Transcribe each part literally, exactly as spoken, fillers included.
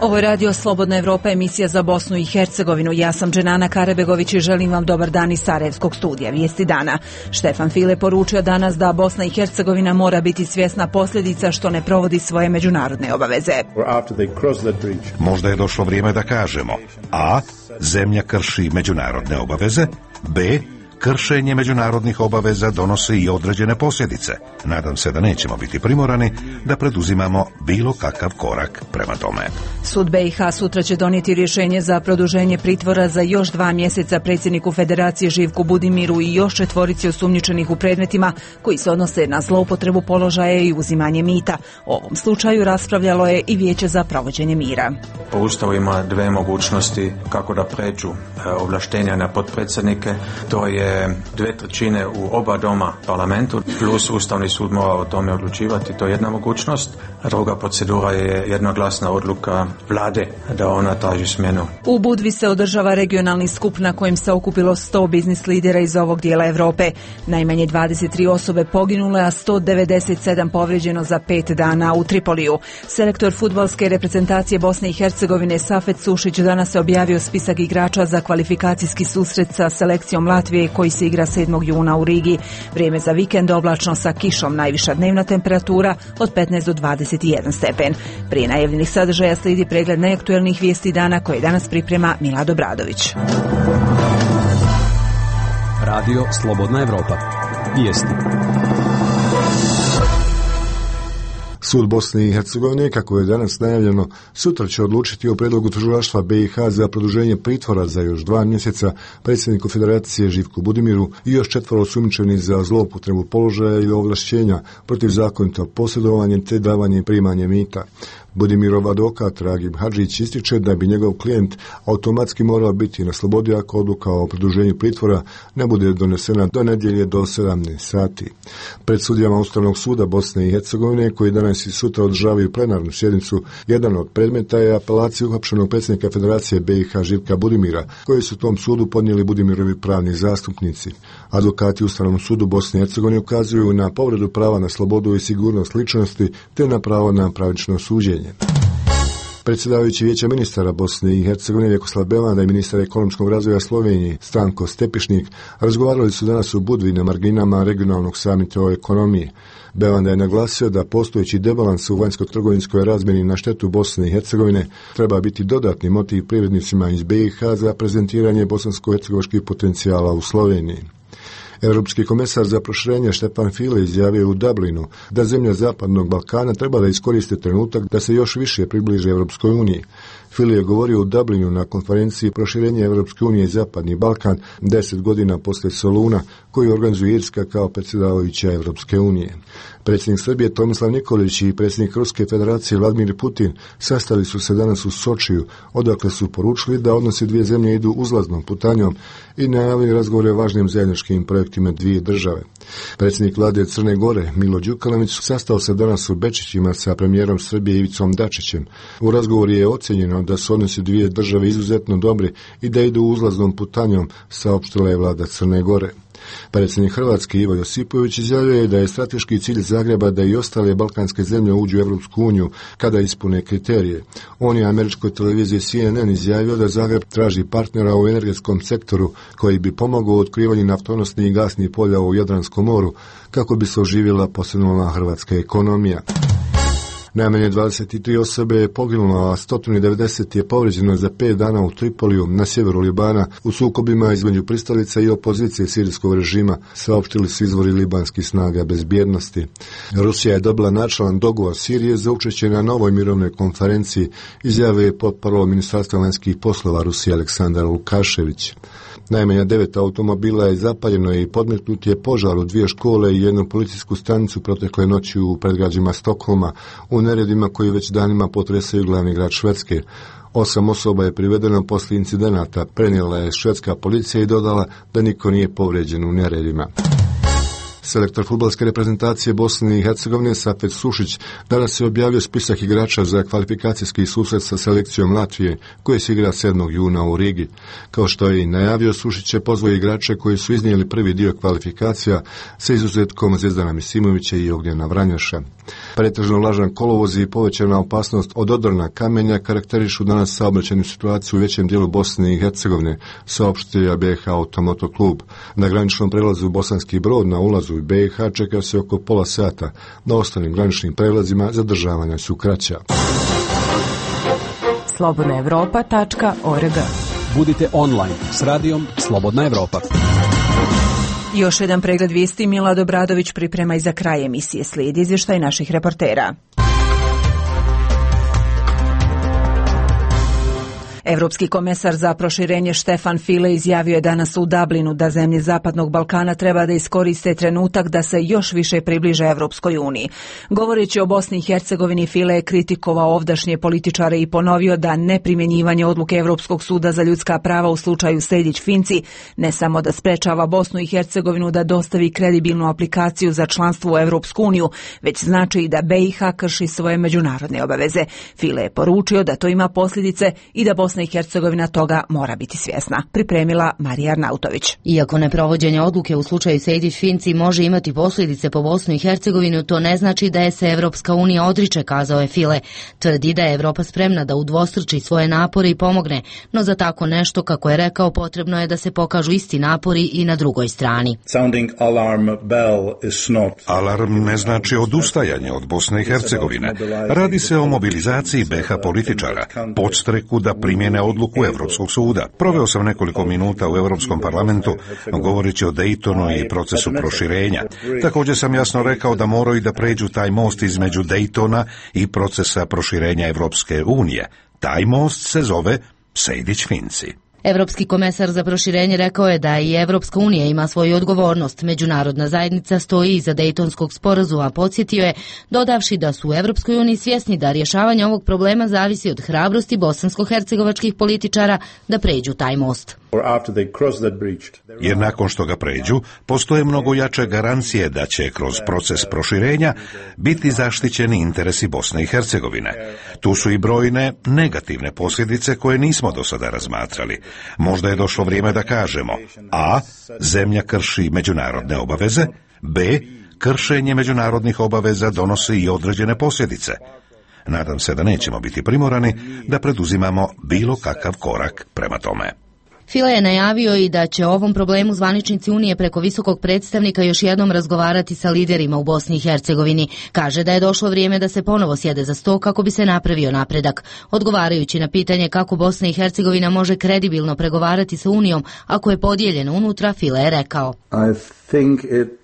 Ovo je Radio Slobodna Evropa, emisija za Bosnu i Hercegovinu. Ja sam Dženana Karebegović i želim vam dobar dan iz Sarajevskog studija. Vijesti dana. Štefan File poručio danas da Bosna i Hercegovina mora biti svjesna posljedica što ne provodi svoje međunarodne obaveze. Možda je došlo vrijeme da kažemo: A. Zemlja krši međunarodne obaveze. B. Kršenje međunarodnih obaveza donosi i određene posljedice. Nadam se da nećemo biti primorani da preduzimamo bilo kakav korak prema tome. Sud B i H sutra će donijeti rješenje za produženje pritvora za još dva mjeseca predsjedniku Federacije Živku Budimiru i još četvorici osumnjičenih u predmetima koji se odnose na zloupotrebu položaja i uzimanje mita. O ovom slučaju raspravljalo je i Vijeće za provođenje mira. Po Ustavu ima dve mogućnosti kako da pređu ovlaštenja na potpredsjednike. To je dve trećine u oba doma parlamentu, plus Ustavni sud mora o tome odlučivati. To je jedna mogućnost. Druga procedura je jednoglasna odluka vlade da ona traži smjenu. U Budvi se održava regionalni skup na kojem se okupilo sto biznis lidera iz ovog dijela Europe. Najmanje dvadeset tri osobe poginule, a sto devedeset sedam povrijeđeno za pet dana u Tripoliju. Selektor fudbalske reprezentacije Bosne i Hercegovine Safet Sušić danas je objavio spisak igrača za kvalifikacijski susret sa selekcijom Latvije koji se igra sedmog juna u Rigi. Vrijeme za vikend oblačno sa kišom, najviša dnevna temperatura od petnaest do dvadeset jedan stepen. Prije najavljenih sadržaja slijedi pregled najaktuelnijih vijesti dana koje danas priprema Milad Obradović. Radio Slobodna Evropa. Vijesti. Sud Bosne i Hercegovine, kako je danas najavljeno, sutra će odlučiti o prijedlogu tužilaštva B i H za produženje pritvora za još dva mjeseca predsjedniku Federacije Živku Budimiru i još četvoro osumnjičenih za zloupotrebu položaja i ovlašćenja protiv zakonitog posjedovanja te davanje i primanje mita. Budimirov advokat Ragib Hadžić ističe da bi njegov klijent automatski morao biti na slobodi ako odluka o produženju pritvora ne bude donesena do nedjelje do sedamnaest sati. Pred sudijama Ustavnog suda Bosne i Hercegovine, koji danas i sutra održavaju plenarnu sjednicu, jedan od predmeta je apelacija uhapšenog predsjednika Federacije B i H Živka Budimira, koji su tom sudu podnijeli Budimirovi pravni zastupnici. Advokati Ustavnom sudu Bosne i Hercegovine ukazuju na povredu prava na slobodu i sigurnost ličnosti te na pravo na pravično suđenje. Predsjedavajući Vijeća ministara Bosne i Hercegovine Vjekoslav Belanda i ministar ekonomskog razvoja Slovenije Stanko Stepišnik razgovarali su danas u Budvi na marginama regionalnog samita o ekonomiji. Belanda je naglasio da postojeći debalans u vanjsko-trgovinskoj razmjeni na štetu Bosne i Hercegovine treba biti dodatni motiv privrednicima iz B i H za prezentiranje bosansko-hercegovačkih potencijala u Sloveniji. Europski komesar za proširenje Štefan File izjavio u Dublinu da zemlje Zapadnog Balkana treba da iskoriste trenutak da se još više približe Europskoj uniji. File je govorio u Dublinu na konferenciji proširenja Europske unije i Zapadni Balkan deset godina poslije Soluna, koju organizuje Irska kao predsjedavajuća Europske unije. Predsjednik Srbije Tomislav Nikolić i predsjednik Ruske federacije Vladimir Putin sastali su se danas u Sočiju, odakle su poručili da odnosi dvije zemlje idu uzlaznom putanjom i najavili razgovore o važnim zajedničkim projektima dvije države. Predsjednik vlade Crne Gore Milo Đukanović sastao se danas u Bečićima sa premijerom Srbije Ivicom Dačićem. U razgovoru je ocjenjeno da su odnosi dvije države izuzetno dobri i da idu uzlaznom putanjom, saopštila je vlada Crne Gore. Predsjednik Hrvatske Ivo Josipović izjavio je da je strateški cilj Zagreba da i ostale balkanske zemlje uđu u Europsku uniju kada ispune kriterije. On je američkoj televiziji C N N izjavio da Zagreb traži partnera u energetskom sektoru koji bi pomogao u otkrivanju naftonosnih i gasnih polja u Jadranskom moru kako bi se oživjela posebna hrvatska ekonomija. Najmanje dvadeset tri osobe je poginulo, a sto devedeset je povrijeđeno za pet dana u Tripoliju na sjeveru Libana u sukobima između pristalica i opozicije sirijskog režima, saopštili su izvori libanskih snaga bezbjednosti. Rusija je dobila načelan dogovor Sirije za učešće na novoj mirovnoj konferenciji, izjavio je potparol Ministarstva vanjskih poslova Rusije Aleksandar Lukašević. Najmanje devet automobila je zapaljeno i podmetnut je požar u dvije škole i jednu policijsku stanicu protekle noći u predgrađima Stokholma, u neredima koji već danima potresaju glavni grad Švedske. Osam osoba je privedeno poslije incidenata, prenijela je švedska policija i dodala da niko nije povrijeđen u neredima. Selektor fudbalske reprezentacije Bosne i Hercegovine Safet Sušić danas je objavio spisak igrača za kvalifikacijski susret sa selekcijom Latvije, koje se igra sedmog juna u Rigi. Kao što je i najavio, Sušić je pozvao igrače koji su iznijeli prvi dio kvalifikacija sa izuzetkom Zvezdana Misimovića i Ognjena Vranjaša. Pretežno vlažan kolovoz i povećana opasnost od odrona kamenja karakterišu danas saobraćajnu situaciju u većem dijelu Bosne i Hercegovine, saopštio B H Automoto klub. Na graničnom prelazu Bosanski Brod na ulazu u B i H čeka se oko pola sata. Na ostalim graničnim prelazima zadržavanja su kraća. slobodna evropa tačka org. Budite online s radijom Slobodna Evropa. Još jedan pregled vijesti Milad Obradović priprema i za kraj emisije. Slijedi izvještaj naših reportera. Evropski komesar za proširenje Štefan File izjavio je danas u Dublinu da zemlje Zapadnog Balkana treba da iskoriste trenutak da se još više približe Evropskoj uniji. Govoreći o Bosni i Hercegovini, File je kritikovao ovdašnje političare i ponovio da neprimjenjivanje odluke Evropskog suda za ljudska prava u slučaju Sejdić-Finci ne samo da sprečava Bosnu i Hercegovinu da dostavi kredibilnu aplikaciju za članstvo u Evropsku uniju, već znači i da B i H krši svoje međunarodne obaveze. File je poručio da to ima posljedice i da Bosna i Hercegovina toga mora biti svjesna. Pripremila Marija Arnautović. Iako neprovođenje odluke u slučaju Sejdić-Finci može imati posljedice po Bosnu i Hercegovinu, to ne znači da je se Evropska unija odriče, kazao je File. Tvrdi da je Evropa spremna da udvostruči svoje napore i pomogne, no za tako nešto, kako je rekao, potrebno je da se pokažu isti napori i na drugoj strani. Alarm ne znači odustajanje od Bosne i Hercegovine. Radi se o mobilizaciji B H političara, podstreku da primjene odluku Evropskog suda. Proveo sam nekoliko minuta u Europskom parlamentu govoreći o Daytonu i procesu proširenja. Također sam jasno rekao da moraju da pređu taj most između Daytona i procesa proširenja Evropske unije. Taj most se zove Sejdić-Finci. Evropski komesar za proširenje rekao je da i Evropska unija ima svoju odgovornost. Međunarodna zajednica stoji iza Dejtonskog sporazuma, a podsjetio je, dodavši da su u Evropskoj uniji svjesni da rješavanje ovog problema zavisi od hrabrosti bosansko-hercegovačkih političara da pređu taj most. Jer nakon što ga pređu, postoje mnogo jače garancije da će kroz proces proširenja biti zaštićeni interesi Bosne i Hercegovine. Tu su i brojne negativne posljedice koje nismo do sada razmatrali. Možda je došlo vrijeme da kažemo: A. Zemlja krši međunarodne obaveze, B. Kršenje međunarodnih obaveza donosi i određene posljedice. Nadam se da nećemo biti primorani da preduzimamo bilo kakav korak prema tome. File je najavio i da će o ovom problemu zvaničnici Unije preko visokog predstavnika još jednom razgovarati sa liderima u Bosni i Hercegovini. Kaže da je došlo vrijeme da se ponovo sjede za sto kako bi se napravio napredak. Odgovarajući na pitanje kako Bosna i Hercegovina može kredibilno pregovarati sa Unijom ako je podijeljena unutra, File je rekao: I think it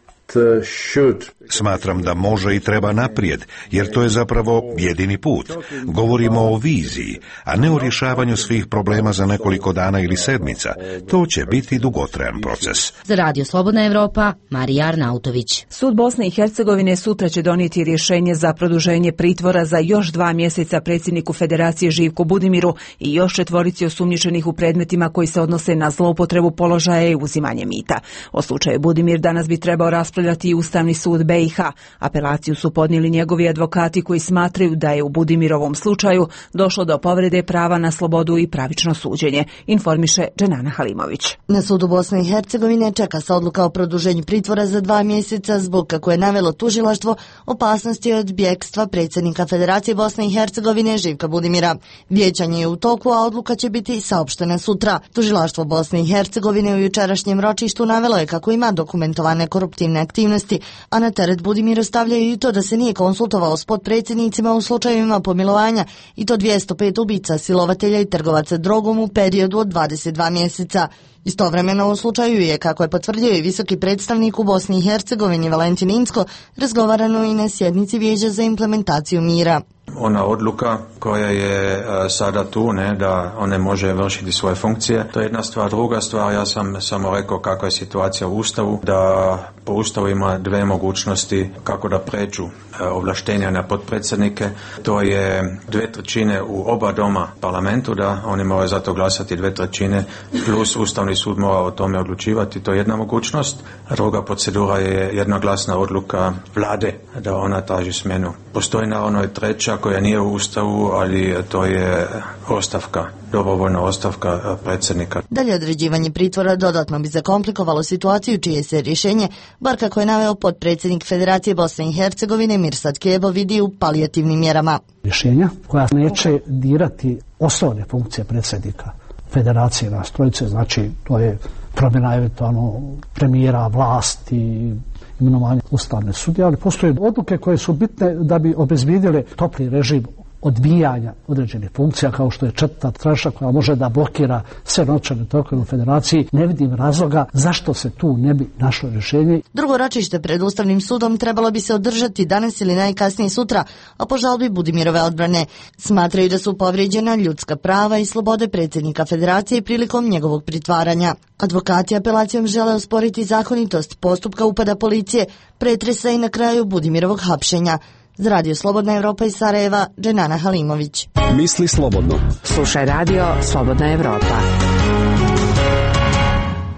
Smatram da može i treba naprijed, jer to je zapravo jedini put. Govorimo o viziji, a ne o rješavanju svih problema za nekoliko dana ili sedmica. To će biti dugotrajan proces. Za Radio Slobodna Evropa, Marija Arnautović. Sud Bosne i Hercegovine sutra će donijeti rješenje za produženje pritvora za još dva mjeseca predsjedniku Federacije Živku Budimiru i još četvorici osumnjičenih u predmetima koji se odnose na zloupotrebu položaja i uzimanje mita. O slučaju Budimir danas bi trebao raspravljati i Ustavni sud B i H. Apelaciju su podnijeli njegovi advokati koji smatraju da je u Budimirovom slučaju došlo do povrede prava na slobodu i pravično suđenje, informiše Dženana Halimović. Na sudu Bosne i Hercegovine čeka se odluka o produženju pritvora za dva mjeseca zbog, kako je navelo tužilaštvo, opasnosti od bjegstva predsjednika Federacije Bosne i Hercegovine Živka Budimira. Vijećanje je u toku, a odluka će biti saopštena sutra. Tužilaštvo Bosne i Hercegovine u jučerašnjem ročištu navelo je kako ima dokumentovane koruptivne aktivnosti, a na teret Budimiru stavljaju i to da se nije konsultovao s potpredsjednicima u slučajevima pomilovanja, i to dvjesto pet ubica, silovatelja i trgovaca drogom u periodu od dvadeset dva mjeseca. Istovremeno u slučaju je, kako je potvrdio i visoki predstavnik u Bosni i Hercegovini Valentin Inzko, razgovarano i na sjednici Vijeća za implementaciju mira. Ona odluka koja je uh, sada tu, ne, da on ne može vršiti svoje funkcije, to je jedna stvar. Druga stvar, ja sam samo rekao kakva je situacija u Ustavu, da po Ustavu ima dve mogućnosti kako da pređu ovlaštenja na potpredsjednike. To je dve trećine u oba doma parlamentu, da oni moraju za to glasati dve trećine, plus Ustavni sud mora o tome odlučivati. To je jedna mogućnost. Druga procedura je jednoglasna odluka vlade, da ona traži smjenu. Postoji naravno i treća koja nije u Ustavu, ali to je ostavka, dobrovoljna ostavka predsjednika. Dalje određivanje pritvora dodatno bi zakomplikovalo situaciju čije se rješenje, bar kako je naveo potpredsjednik Federacije Bosne i Hercegovine Mirsad Kebo, vidi u palijativnim mjerama. Rješenja koja neće dirati osnovne funkcije predsjednika Federacije nas trojice, znači to je promjena eventualno premijera, vlasti, imenovanje ustavne sudije, ali postoje odluke koje su bitne da bi obezbijedile topli režim odbijanja određenih funkcija, kao što je četvrta tranša koja može da blokira sve novčane tokove u Federaciji. Ne vidim razloga zašto se tu ne bi našlo rješenje. Drugo ročište pred Ustavnim sudom trebalo bi se održati danas ili najkasnije sutra, a po žalbi Budimirove odbrane. Smatraju da su povrijeđena ljudska prava i slobode predsjednika Federacije prilikom njegovog pritvaranja. Advokati apelacijom žele osporiti zakonitost postupka upada policije, pretresa i na kraju Budimirovog hapšenja. Za Radio Slobodna Evropa iz Sarajeva, Dženana Halimović. Misli slobodno. Slušaj Radio Slobodna Evropa.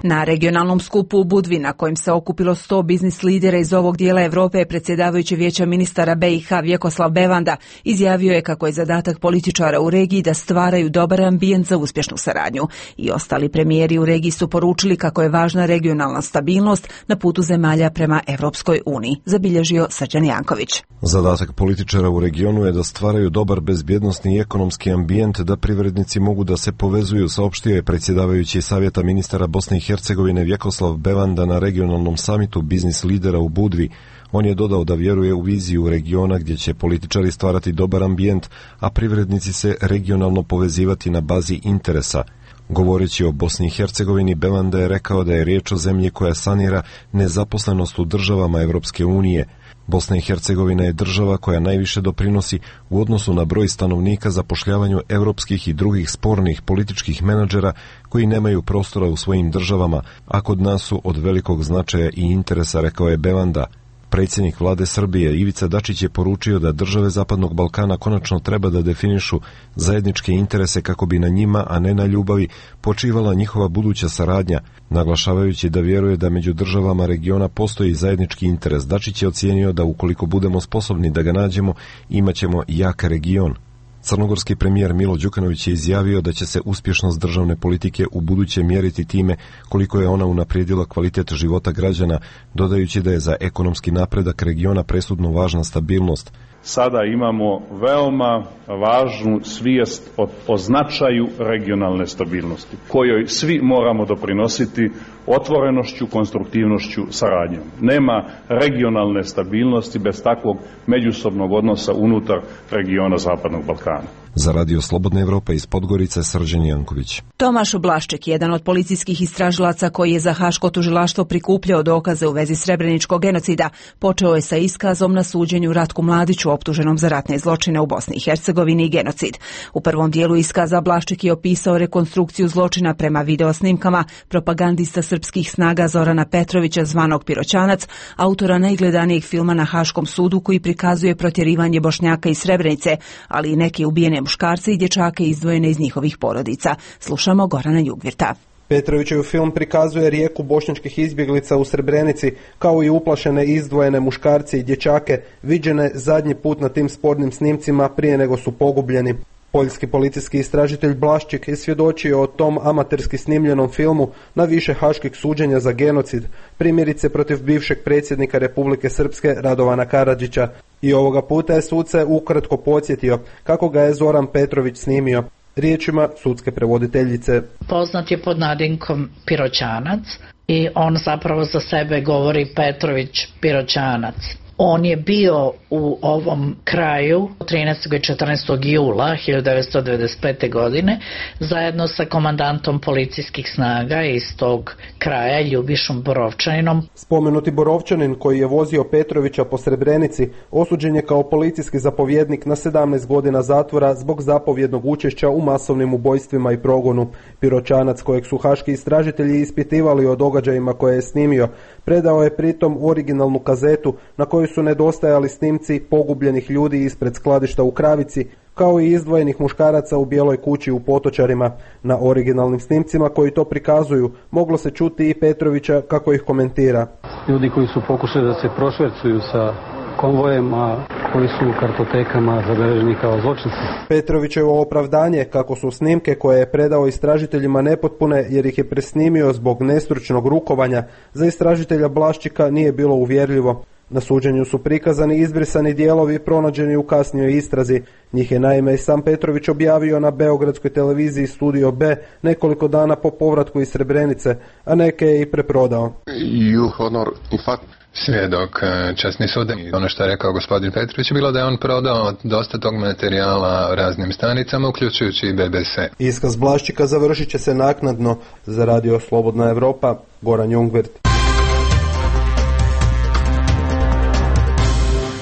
Na regionalnom skupu u Budvi, na kojem se okupilo sto biznis lidera iz ovog dijela Evrope, predsjedavajući Vijeća ministara B i H Vjekoslav Bevanda izjavio je kako je zadatak političara u regiji da stvaraju dobar ambijent za uspješnu saradnju. I ostali premijeri u regiji su poručili kako je važna regionalna stabilnost na putu zemalja prema Evropskoj uniji, zabilježio Srđan Janković. Zadatak političara u regionu je da stvaraju dobar bezbjednosni i ekonomski ambijent, da privrednici mogu da se povezuju, saopštio je predsjedavajući Savjeta ministara Bosne i Hercegovine Vjekoslav Bevanda na regionalnom samitu biznis lidera u Budvi. On je dodao da vjeruje u viziju regiona gdje će političari stvarati dobar ambijent, a privrednici se regionalno povezivati na bazi interesa. Govoreći o Bosni i Hercegovini, Bevanda je rekao da je riječ o zemlji koja sanira nezaposlenost u državama Evropske unije. Bosna i Hercegovina je država koja najviše doprinosi u odnosu na broj stanovnika zapošljavanju europskih i drugih spornih političkih menadžera koji nemaju prostora u svojim državama, a kod nas su od velikog značaja i interesa, rekao je Bevanda. Predsjednik vlade Srbije Ivica Dačić je poručio da države Zapadnog Balkana konačno treba da definišu zajedničke interese kako bi na njima, a ne na ljubavi, počivala njihova buduća saradnja, naglašavajući da vjeruje da među državama regiona postoji zajednički interes. Dačić je ocijenio da ukoliko budemo sposobni da ga nađemo, imaćemo jak region. Crnogorski premijer Milo Đukanović je izjavio da će se uspješnost državne politike u buduće mjeriti time koliko je ona unaprijedila kvalitet života građana, dodajući da je za ekonomski napredak regiona presudno važna stabilnost. Sada imamo veoma važnu svijest o, o značaju regionalne stabilnosti, kojoj svi moramo doprinositi otvorenošću, konstruktivnošću, saradnjom. Nema regionalne stabilnosti bez takvog međusobnog odnosa unutar regiona Zapadnog Balkana. Za Radio Slobodna Evropa iz Podgorice, Srđan Janković. Tomaš Blašček, jedan od policijskih istražilaca koji je za Haško tužilaštvo prikupljao dokaze u vezi srebreničkog genocida, počeo je sa iskazom na suđenju Ratku Mladiću, optuženom za ratne zločine u Bosni i Hercegovini i genocid. U prvom dijelu iskaza Blašček je opisao rekonstrukciju zločina prema videosnimkama propagandista srpskih snaga Zorana Petrovića, zvanog Piroćanac, autora najgledanijeg filma na Haškom sudu koji prikazuje protjerivanje Bošnjaka iz Srebrenice, ali i neke ubijene muškarce i dječake izdvojene iz njihovih porodica. Slušamo Gorana Jugvirta. Petrovićev film prikazuje rijeku bošnjačkih izbjeglica u Srebrenici, kao i uplašene izdvojene muškarce i dječake, viđene zadnji put na tim spornim snimcima prije nego su pogubljeni. Poljski policijski istražitelj Blašček je svjedočio o tom amaterski snimljenom filmu na više haških suđenja za genocid, primjerice protiv bivšeg predsjednika Republike Srpske Radovana Karadžića. I ovoga puta je suce ukratko podsjetio kako ga je Zoran Petrović snimio. Riječima sudske prevoditeljice. Poznat je pod nadimkom Piroćanac i on zapravo za sebe govori Petrović Piroćanac. On je bio u ovom kraju trinaestog i četrnaestog jula hiljadu devetsto devedeset pete. godine zajedno sa komandantom policijskih snaga iz tog kraja, Ljubišom Borovčaninom. Spomenuti Borovčanin, koji je vozio Petrovića po Srebrenici, osuđen je kao policijski zapovjednik na sedamnaest godina zatvora zbog zapovjednog učešća u masovnim ubojstvima i progonu. Piroćanac, kojeg su haški istražitelji ispitivali o događajima koje je snimio, predao je pritom originalnu kazetu na kojoj kojoj su nedostajali snimci pogubljenih ljudi ispred skladišta u Kravici, kao i izdvojenih muškaraca u bijeloj kući u Potočarima. Na originalnim snimcima koji to prikazuju moglo se čuti i Petrovića kako ih komentira. Ljudi koji su pokušali da se prošvercuju sa konvojem, a koji su u kartotekama zabeleženi kao zločinci. Petrovićevo opravdanje kako su snimke koje je predao istražiteljima nepotpune jer ih je presnimio zbog nestručnog rukovanja, za istražitelja Blaščika nije bilo uvjerljivo. Na suđenju su prikazani izbrisani dijelovi pronađeni u kasnijoj istrazi. Njih je naime i sam Petrović objavio na beogradskoj televiziji Studio B nekoliko dana po povratku iz Srebrenice, a neke je i preprodao. You honor, in fact, svjedok časni sud. Ono što je rekao gospodin Petrović je bilo da je on prodao dosta tog materijala raznim stanicama, uključujući i B B C. Iskaz Blaščika završit će se naknadno. Za radio Slobodna Evropa, Goran Jungwirth.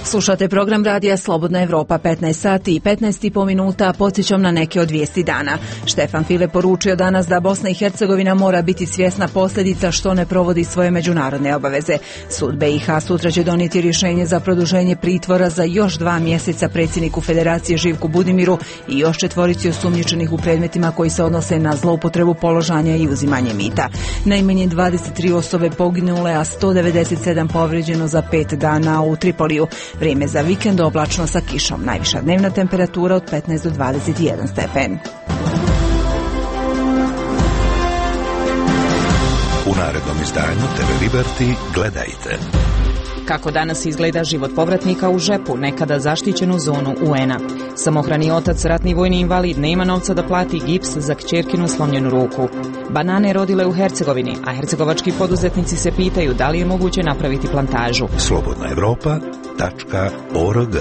Slušate program radija Slobodna Evropa, petnaest sati i petnaest i po minuta, podsjećam na neke od vijesti dana. Štefan File poručio danas da Bosna i Hercegovina mora biti svjesna posljedica što ne provodi svoje međunarodne obaveze. Sud B i H sutra će donijeti rješenje za produženje pritvora za još dva mjeseca predsjedniku Federacije Živku Budimiru i još četvorici osumnjičenih u predmetima koji se odnose na zloupotrebu položanja i uzimanje mita. Najmanje dvadeset tri osobe poginule, a sto devedeset sedam povrijeđeno za pet dana u Tripoliju. Vrijeme za vikend oblačno sa kišom. Najviša dnevna temperatura od petnaest do dvadeset jedan stepen. U narednom izdanju T V Liberty gledajte. Kako danas izgleda život povratnika u Žepu, nekada zaštićenu zonu U N-a. Samohrani otac, ratni vojni invalid, nema novca da plati gips za kćerkinu slomljenu ruku. Banane rodile u Hercegovini, a hercegovački poduzetnici se pitaju da li je moguće napraviti plantažu. Slobodna Evropa tačka org.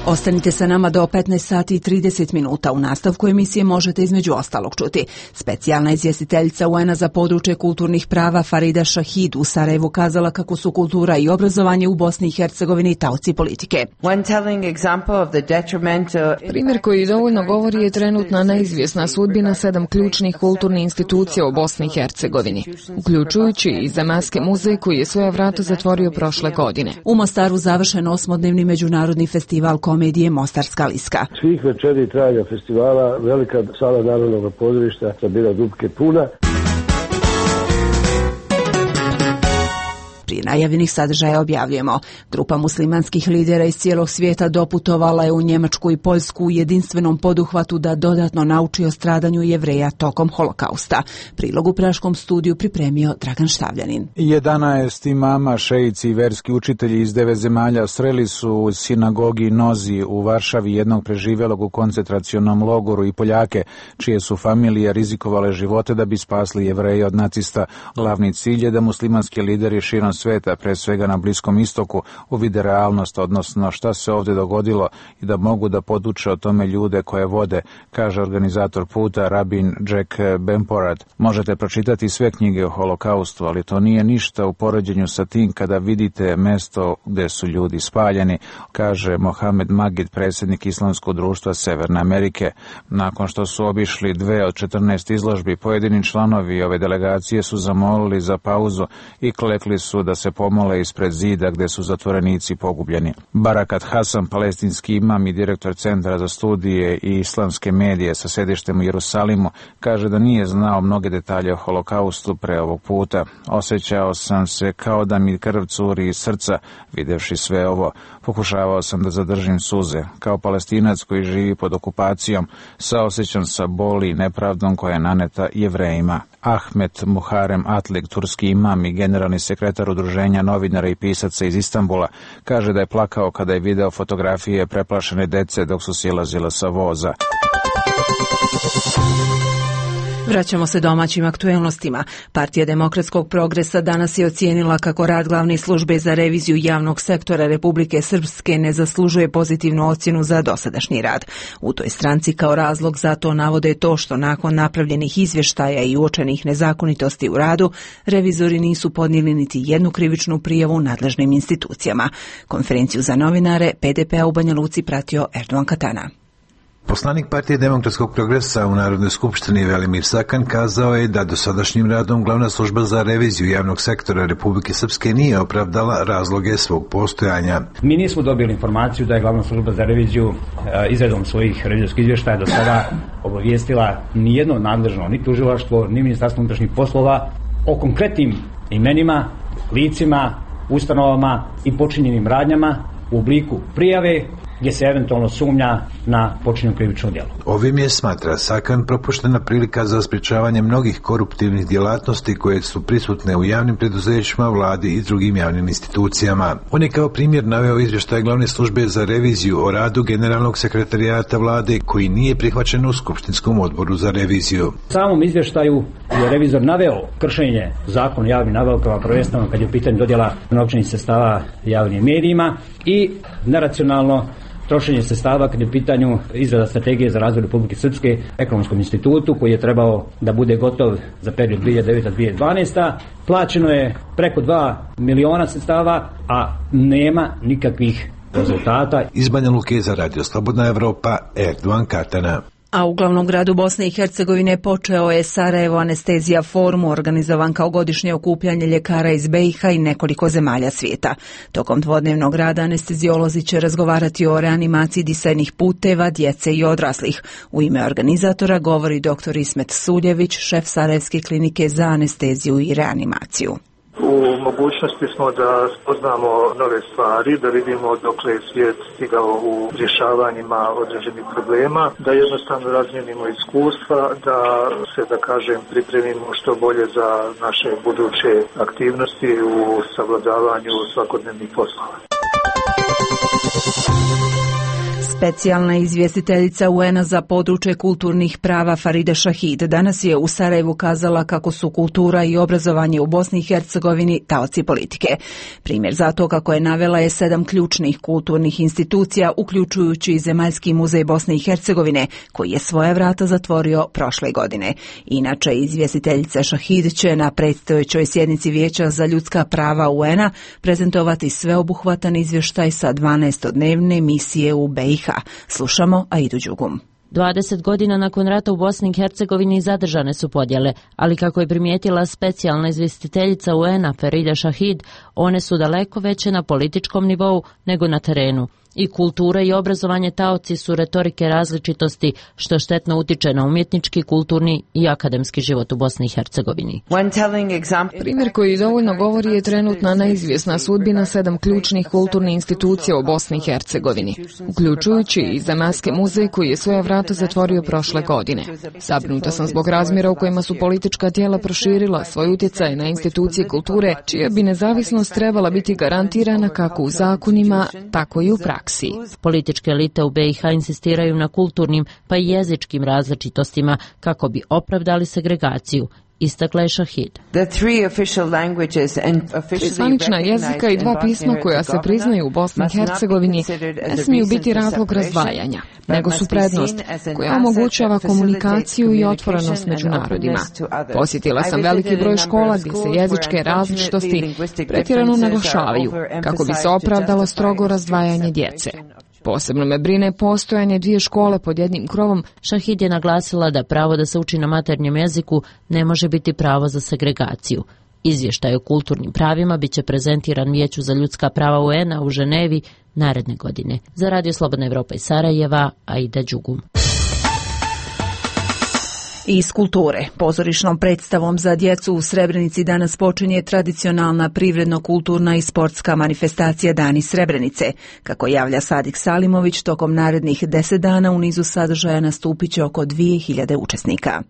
Ostanite sa nama do petnaest sati i trideset minuta. U nastavku emisije možete između ostalog čuti. Specijalna izvjestiteljica U N-a za područje kulturnih prava Farida Šahid u Sarajevu kazala kako su kultura i obrazovanje u Bosni i Hercegovini taoci politike. Primjer koji dovoljno govori je trenutna neizvjesna sudbina sedam ključnih kulturnih institucija u Bosni i Hercegovini, uključujući i Zemaljski muzej koji je svoja vrata zatvorio prošle godine. U Mostaru završen osmodnevni međunarodni festival komedije Mostarska liska. Svih večeri trajanja festivala velika sala Narodnog pozorišta sa bila dupke puna. Prije najavljenih sadržaja objavljujemo. Grupa muslimanskih lidera iz cijelog svijeta doputovala je u Njemačku i Poljsku u jedinstvenom poduhvatu da dodatno nauči o stradanju Jevreja tokom holokausta. Prilog u praškom studiju pripremio Dragan Štavljanin. jedanaest imama, šeici i verski učitelji iz devet zemalja sreli su u sinagogi Nozi u Varšavi jednog preživjelog u koncentracionom logoru i Poljake, čije su familije rizikovale živote da bi spasli Jevreje od nacista. Glavni cilj je da muslimanski lideri širom sveta, pre svega na Bliskom istoku, uvide realnost, odnosno šta se ovdje dogodilo i da mogu da poduče o tome ljude koje vode, kaže organizator puta rabin Jack Bemporad. Možete pročitati sve knjige o holokaustu, ali to nije ništa u poređenju sa tim kada vidite mesto gdje su ljudi spaljeni, kaže Mohamed Magid, predsjednik Islamskog društva Severne Amerike. Nakon što su obišli dve od četrnaest izložbi, pojedini članovi ove delegacije su zamolili za pauzu i klekli su da se pomole ispred zida gdje su zatvorenici pogubljeni. Barakat Hasan, palestinski imam i direktor Centra za studije i islamske medije sa sedištem u Jerusalimu, kaže da nije znao mnoge detalje o holokaustu pre ovog puta. Osjećao sam se kao da mi krv curi iz srca, videvši sve ovo. Pokušavao sam da zadržim suze. Kao Palestinac koji živi pod okupacijom, saosjećam sa boli i nepravdom koja je naneta Jevrejima. Ahmet Muharem Atlik, turski imam i generalni sekretar Udruženja novinara i pisaca iz Istanbula, kaže da je plakao kada je video fotografije preplašene dece dok su silazile sa voza. Vraćamo se domaćim aktuelnostima. Partija Demokratskog progresa danas je ocijenila kako rad glavne službe za reviziju javnog sektora Republike Srpske ne zaslužuje pozitivnu ocjenu za dosadašnji rad. U toj stranci kao razlog za to navode to što nakon napravljenih izvještaja i uočenih nezakonitosti u radu, revizori nisu podnijeli niti jednu krivičnu prijavu nadležnim institucijama. Konferenciju za novinare P D P-a u Banja Luci pratio Erdogan Katana. Poslanik Partije demokratskog progresa u Narodnoj skupštini Velimir Sakan kazao je da dosadašnjim radom Glavna služba za reviziju javnog sektora Republike Srpske nije opravdala razloge svog postojanja. Mi nismo dobili informaciju da je Glavna služba za reviziju izradom svojih revizorskih izvještaja do sada obavijestila ni jedno nadležno, ni tužilaštvo, ni Ministarstvo unutrašnjih poslova o konkretnim imenima, licima, ustanovama i počinjenim radnjama u obliku prijave gdje se eventualno sumnja na počinjeno krivično djelo. Ovim je, smatra Sakan, propuštena prilika za sprječavanje mnogih koruptivnih djelatnosti koje su prisutne u javnim preduzećima, vladi i drugim javnim institucijama. On je kao primjer naveo izvještaj Glavne službe za reviziju o radu Generalnog sekretarijata vlade koji nije prihvaćen u Skupštinskom odboru za reviziju. U samom izvještaju je revizor naveo kršenje zakona o javnim nabavkama, prvenstveno kad je u pitanju dodjela novčanih sredstava javnim medijima i neracionalno trošenje sredstava kad je u pitanju izrada strategije za razvoj Republike Srpske Ekonomskom institutu koji je trebao da bude gotov za period dvije hiljade deveta do dvije hiljade dvanaesta. Plaćeno je preko dva miliona sredstava, a nema nikakvih rezultata. Iz Banja Luke za Radio Slobodna Evropa, Erdovan Katana. A u glavnom gradu Bosne i Hercegovine počeo je Sarajevo Anestezija forum, organizovan kao godišnje okupljanje ljekara iz B i H i nekoliko zemalja svijeta. Tokom dvodnevnog rada anestezijolozi će razgovarati o reanimaciji disajnih puteva, djece i odraslih. U ime organizatora govori doktor Ismet Suljević, šef Sarajevske klinike za anesteziju i reanimaciju. U mogućnosti smo da spoznamo nove stvari, da vidimo dokle je svijet stigao u rješavanjima određenih problema, da jednostavno razmijenimo iskustva, da se, da kažem, pripremimo što bolje za naše buduće aktivnosti u savladavanju svakodnevnih poslova. Specijalna izvjestiteljica U N-a za područje kulturnih prava Farida Šahid danas je u Sarajevu kazala kako su kultura i obrazovanje u Bosni i Hercegovini taoci politike. Primjer za to, kako je navela, je sedam ključnih kulturnih institucija, uključujući i Zemaljski muzej Bosne i Hercegovine, koji je svoja vrata zatvorio prošle godine. Inače, izvjestiteljica Šahid će na predstojećoj sjednici Vijeća za ljudska prava U N-a prezentovati sveobuhvatan izvještaj sa dvanaestodnevne misije u B i H. Slušamo Aidu Đugum. dvadeset godina nakon rata u Bosni i Hercegovini zadržane su podjele, ali kako je primijetila specijalna izvjestiteljica U N-a Farida Šahid, one su daleko veće na političkom nivou nego na terenu. I kultura i obrazovanje taoci su retorike različitosti, što štetno utiče na umjetnički, kulturni i akademski život u Bosni i Hercegovini. Primjer koji dovoljno govori je trenutna neizvjesna sudbina sedam ključnih kulturnih institucija u Bosni i Hercegovini, uključujući i Zemaljski muzej koji je svoja vrata zatvorio prošle godine. Zabrinuta sam zbog razmjera u kojima su politička tijela proširila svoj utjecaj na institucije kulture, čija bi nezavisnost trebala biti garantirana kako u zakonima, tako i u praksi. Političke elite u B i H insistiraju na kulturnim pa i jezičkim različitostima kako bi opravdali segregaciju, istakla je Šahid. Tri zvanična jezika i dva pisma koja se priznaju u Bosni i Hercegovini ne smiju biti razlog razdvajanja, nego su prednost koja omogućava komunikaciju i otvorenost među narodima. Posjetila sam veliki broj škola gdje se jezičke različitosti pretjerano naglašavaju kako bi se opravdalo strogo razdvajanje djece. Posebno me brine postojanje dvije škole pod jednim krovom. Šahid je naglasila da pravo da se uči na maternjem jeziku ne može biti pravo za segregaciju. Izvještaj o kulturnim pravima biće prezentiran Vijeću za ljudska prava U N-a u Ženevi naredne godine. Za Radio Slobodna Evropa iz Sarajeva, Aida Đugum. Iz kulture. Pozorišnom predstavom za djecu u Srebrenici danas počinje tradicionalna privredno-kulturna i sportska manifestacija Dani Srebrenice. Kako javlja Sadik Salimović, tokom narednih deset dana u nizu sadržaja nastupit će oko dvije hiljade učesnika.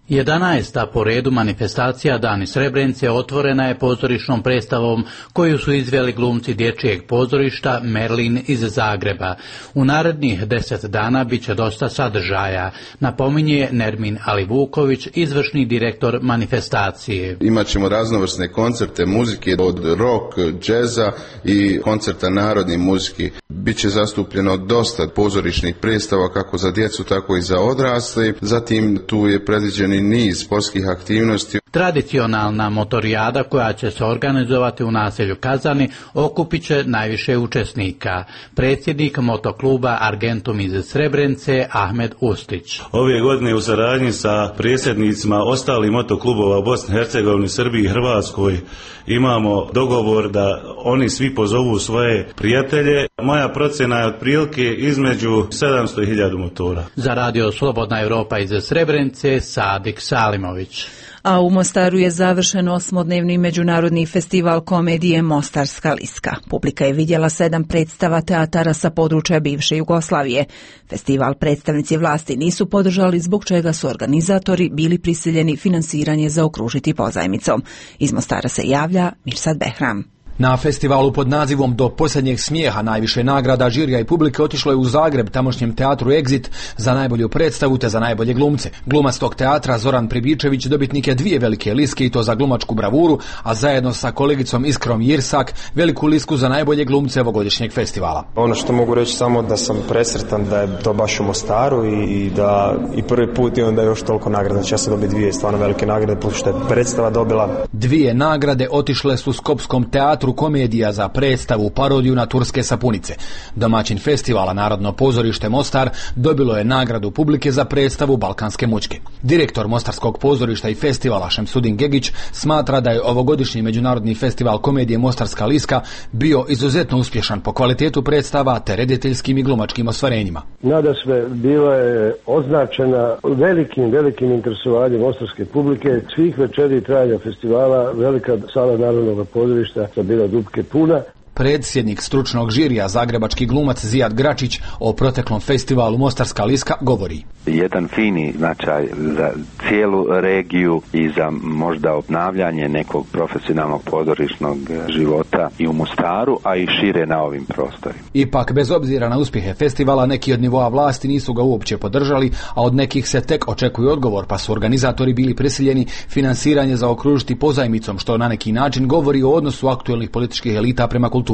jedanaesta po redu manifestacija Dani Srebrenice otvorena je pozorišnom predstavom koju su izveli glumci dječjeg pozorišta Merlin iz Zagreba. U narednih deset dana bit će dosta sadržaja, napominje Nermin Alivuković, izvršni direktor manifestacije. Imaćemo raznovrsne koncerte muzike od rock, džeza i koncerta narodne muzike. Biće zastupljeno dosta pozorišnih predstava kako za djecu tako i za odrasle. Zatim tu je predviđen niz sportskih aktivnosti. Tradicionalna motorijada koja će se organizovati u naselju Kazani okupit će najviše učesnika. Predsjednik motokluba Argentum iz Srebrenice Ahmed Ustić. Ove godine u saradnji sa predsjednicima ostalih motoklubova u Bosni i Hercegovini, Srbiji i Hrvatskoj imamo dogovor da oni svi pozovu svoje prijatelje. Moja procjena je otprilike između sedamsto i hiljadu motora. Za radio Slobodna Evropa iz Srebrenice Sadik Salimović. A u Mostaru je završen osmodnevni međunarodni festival komedije Mostarska liska. Publika je vidjela sedam predstava teatara sa područja bivše Jugoslavije. Festival predstavnici vlasti nisu podržali, zbog čega su organizatori bili prisiljeni finansiranje zaokružiti pozajmicom. Iz Mostara se javlja Mirsad Behram. Na festivalu pod nazivom Do posljednjeg smijeha najviše nagrada žirija i publike otišlo je u Zagreb tamošnjem teatru Exit za najbolju predstavu te za najbolje glumce. Glumac tog teatra Zoran Pribičević dobitnik je dvije velike liske i to za glumačku bravuru, a zajedno sa kolegicom Iskrom Jirsak veliku lisku za najbolje glumce ovogodišnjeg festivala. Ono što mogu reći samo da sam presretan da je to baš u Mostaru i, i da i prvi put imam da je još toliko nagrada. Znači ja sam dobio dvije stvarno velike nagrade plus što je predstava dobila. Dvije nagrade otišle su Skopskom teatru komedija za predstavu parodiju na turske sapunice. Domaćin festivala Narodno pozorište Mostar dobilo je nagradu publike za predstavu Balkanske mućke. Direktor Mostarskog pozorišta i festivala Šemsudin Gegić smatra da je ovogodišnji međunarodni festival komedije Mostarska liska bio izuzetno uspješan po kvalitetu predstava te rediteljskim i glumačkim ostvarenjima. Nadasve bila je označena velikim, velikim interesovanjem mostarske publike. Svih večeri trajanja festivala velika sala Narodnog pozorišta sa bila dupke puna. Predsjednik stručnog žirija, zagrebački glumac Zijad Gračić, o proteklom festivalu Mostarska liska govori. Jedan fini značaj za cijelu regiju i za možda obnavljanje nekog profesionalnog pozorišnog života i u Mostaru, a i šire na ovim prostorima. Ipak, bez obzira na uspjehe festivala, neki od nivoa vlasti nisu ga uopće podržali, a od nekih se tek očekuje odgovor, pa su organizatori bili prisiljeni finansiranje zaokružiti pozajmicom, što na neki način govori o odnosu aktuelnih političkih elita prema kulturi.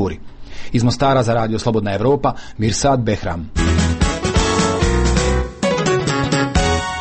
Iz Mostara za radio Slobodna Evropa, Mirsad Behram.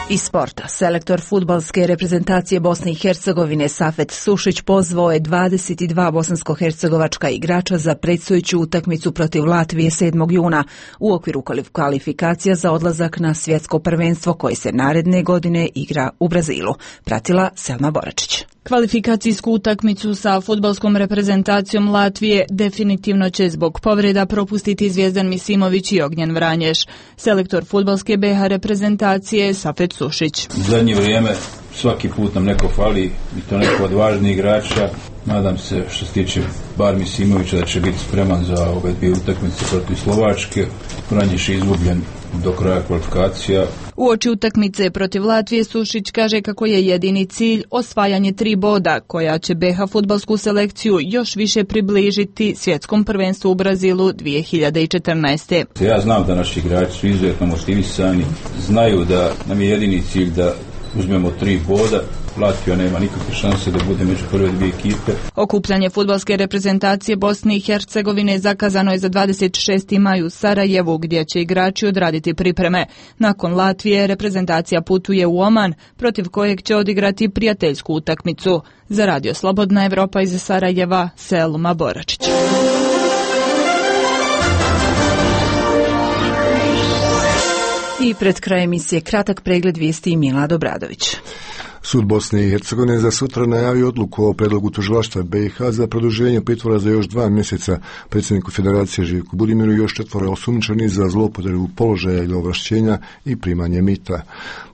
Iz sporta, selektor fudbalske reprezentacije Bosne i Hercegovine Safet Sušić pozvao je dvadeset dva bosansko-hercegovačka igrača za predstojeću utakmicu protiv Latvije sedmog juna u okviru kvalifikacija za odlazak na svjetsko prvenstvo koje se naredne godine igra u Brazilu. Pratila Selma Boračić. Kvalifikacijsku utakmicu sa fudbalskom reprezentacijom Latvije definitivno će zbog povreda propustiti Zvijezdan Misimović i Ognjen Vranješ. Selektor fudbalske B H reprezentacije Safet Sušić. U zadnje vrijeme svaki put nam neko fali i to neko od važnijih igrača. Nadam se što se tiče bar Misimovića da će biti spreman za ove dvije utakmice protiv Slovačke. Vranješ je izgubljen do kraja kvalifikacija. Uoči utakmice protiv Latvije Sušić kaže kako je jedini cilj osvajanje tri boda koja će B H fudbalsku selekciju još više približiti svjetskom prvenstvu u Brazilu dvije hiljade četrnaeste. Ja znam da naši igrači su izuzetno motivisani, znaju da nam je jedini cilj da uzmemo tri boda. Latvija nema nikakve šanse da bude među prve dvije ekipe. Okupljanje fudbalske reprezentacije Bosne i Hercegovine zakazano je za dvadeset šesti maj u Sarajevu, gdje će igrači odraditi pripreme. Nakon Latvije reprezentacija putuje u Oman, protiv kojeg će odigrati prijateljsku utakmicu. Za radio Slobodna Evropa iz Sarajeva, Selma Boračić. I pred krajem emisije kratak pregled vijesti Milad Obradović. Sud Bosne i Hercegovine za sutra najavio odluku o predlogu tužilaštva B i H za produženje pritvora za još dva mjeseca predsjedniku Federacije Živku Budimiru i još četvoro osumnjičeni za zloupotrebu položaja ili ovlašćenja i primanje mita.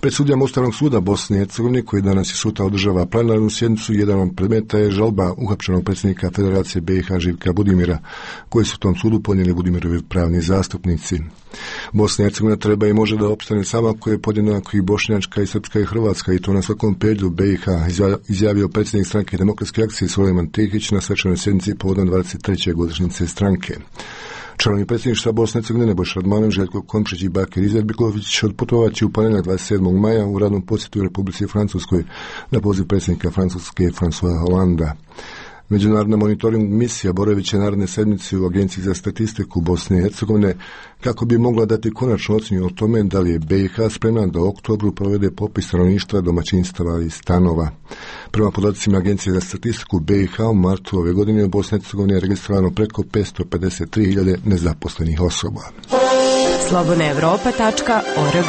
Pred sudijama Ustavnog suda Bosne i Hercegovine, koji danas i sutra održava plenarnu sjednicu, jedan od predmeta je žalba uhapšenog predsjednika Federacije B i H Živka Budimira, koji su tom sudu podnijeli Budimirovi pravni zastupnici. Bosna i Hercegovina treba i može da opstane sama ako je podjednako i bošnjačka i srpska i hrvatska, i to na svakom periodu B i H, izjavio predsjednik stranke Demokratske akcije Sulejman Tehić na svečanoj sjednici povodom dvadeset treće godišnjice stranke. Članovi predsjedništva Bosne i Hercegovine Nebojša Radmanović, Željko Komšić i Bakir Izetbegović odputovat će u ponedjeljak dvadeset sedmog maja u radnom posjetu u Republici Francuskoj na poziv predsjednika Francuske François Hollanda. Međunarodna monitoring misija boravit će naredne sedmice u Agenciji za statistiku Bosne i Hercegovine kako bi mogla dati konačnu ocjenu o tome da li je B i H spremna da u oktobru provede popis stanovništva, domaćinstava i stanova. Prema podacima Agencije za statistiku B i H u martu ove godine u Bosni i Hercegovini je registrovano preko petsto pedeset tri hiljade nezaposlenih osoba. slobodna evropa tačka org.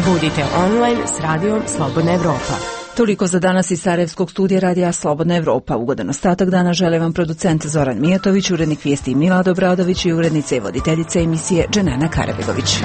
Budite online s radijom Slobodna Evropa. Toliko za danas iz Sarajevskog studija radija Slobodna Evropa. Ugodan ostatak dana žele vam producent Zoran Mijatović, urednik vijesti Milad Obradović i urednica i voditeljica emisije Dženana Karabegović.